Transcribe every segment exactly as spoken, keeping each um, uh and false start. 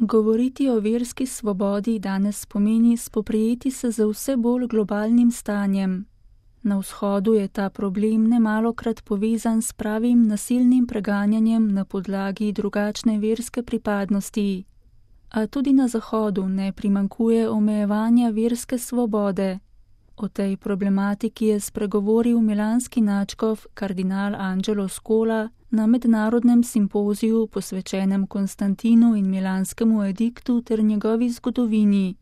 Govoriti o verski svobodi danes pomeni spoprijeti se z vse bolj globalnim stanjem. Na vzhodu je ta problem nemalokrat povezan s pravim nasilnim preganjanjem na podlagi drugačne verske pripadnosti. A tudi na zahodu ne primanjkuje omejevanja verske svobode. O tej problematiki je spregovoril milanski nadškof kardinal Angelo Scola na mednarodnem simpoziju posvečenem Konstantinu in milanskemu ediktu ter njegovi zgodovini.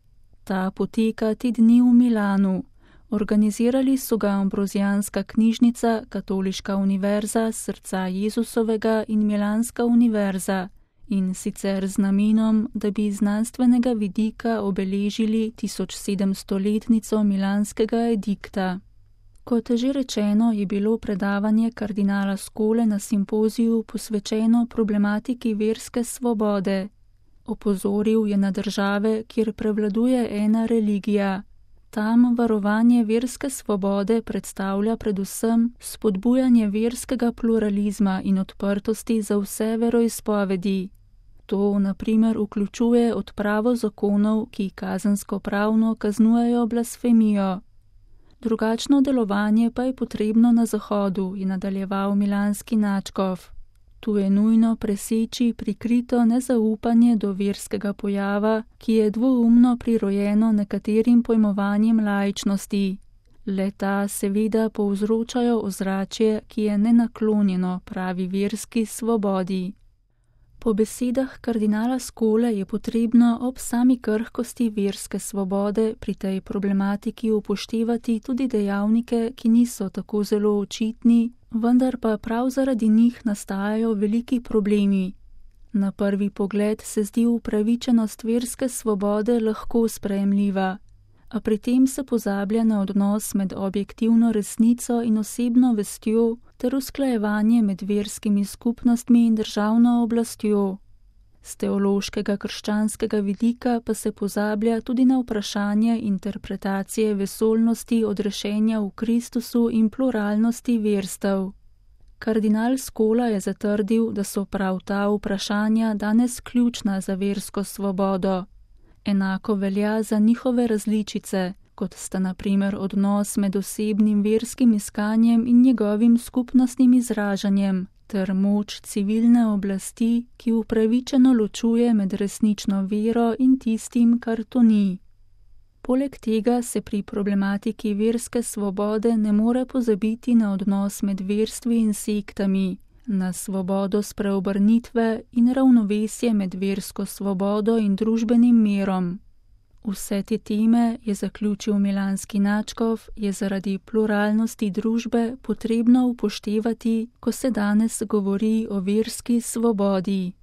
Ta poteka te dni v Milanu. Organizirali so ga Ambrozijanska knjižnica, Katoliška univerza Srca Jezusovega in Milanska univerza, in sicer z namenom, da bi iz znanstvenega vidika obeležili tisočsedemstoletnico milanskega edikta. Kot že rečeno, je bilo predavanje kardinala Scole na simpoziju posvečeno problematiki verske svobode. Opozoril je na države, kjer prevladuje ena religija. Tam varovanje verske svobode predstavlja predvsem spodbujanje verskega pluralizma in odprtosti za vse veroizpovedi. To, na primer, vključuje odpravo zakonov, ki kazensko-pravno kaznujejo blasfemijo. Drugačno delovanje pa je potrebno na zahodu, je nadaljeval milanski nadškof. Tu je nujno preseči prikrito nezaupanje do verskega pojava, ki je dvoumno prirojeno nekaterim pojmovanjem laičnosti. Le-ta seveda povzročajo ozračje, ki je nenaklonjeno pravi verski svobodi. Po besedah kardinala Scole je potrebno ob sami krhkosti verske svobode pri tej problematiki upoštevati tudi dejavnike, ki niso tako zelo očitni, vendar pa prav zaradi njih nastajajo veliki problemi. Na prvi pogled se zdi upravičenost verske svobode lahko sprejemljiva, a pri tem se pozablja na odnos med objektivno resnico in osebno vestjo ter usklajevanje med verskimi skupnostmi in državno oblastjo. Z teološkega krščanskega vidika pa se pozablja tudi na vprašanje interpretacije vesoljnosti odrešenja v Kristusu in pluralnosti verstev. Kardinal Scola je zatrdil, da so prav ta vprašanja danes ključna za versko svobodo. Enako velja za njihove različice, kot sta na primer odnos med osebnim verskim iskanjem in njegovim skupnostnim izražanjem, ter moč civilne oblasti, ki upravičeno ločuje med resnično vero in tistim, kar to ni. Poleg tega se pri problematiki verske svobode ne more pozabiti na odnos med verstvi in sektami, na svobodo spreobrnitve in ravnovesje med versko svobodo in družbenim mirom. Vse te teme, je zaključil milanski nadškof, je zaradi pluralnosti družbe potrebno upoštevati, ko se danes govori o verski svobodi.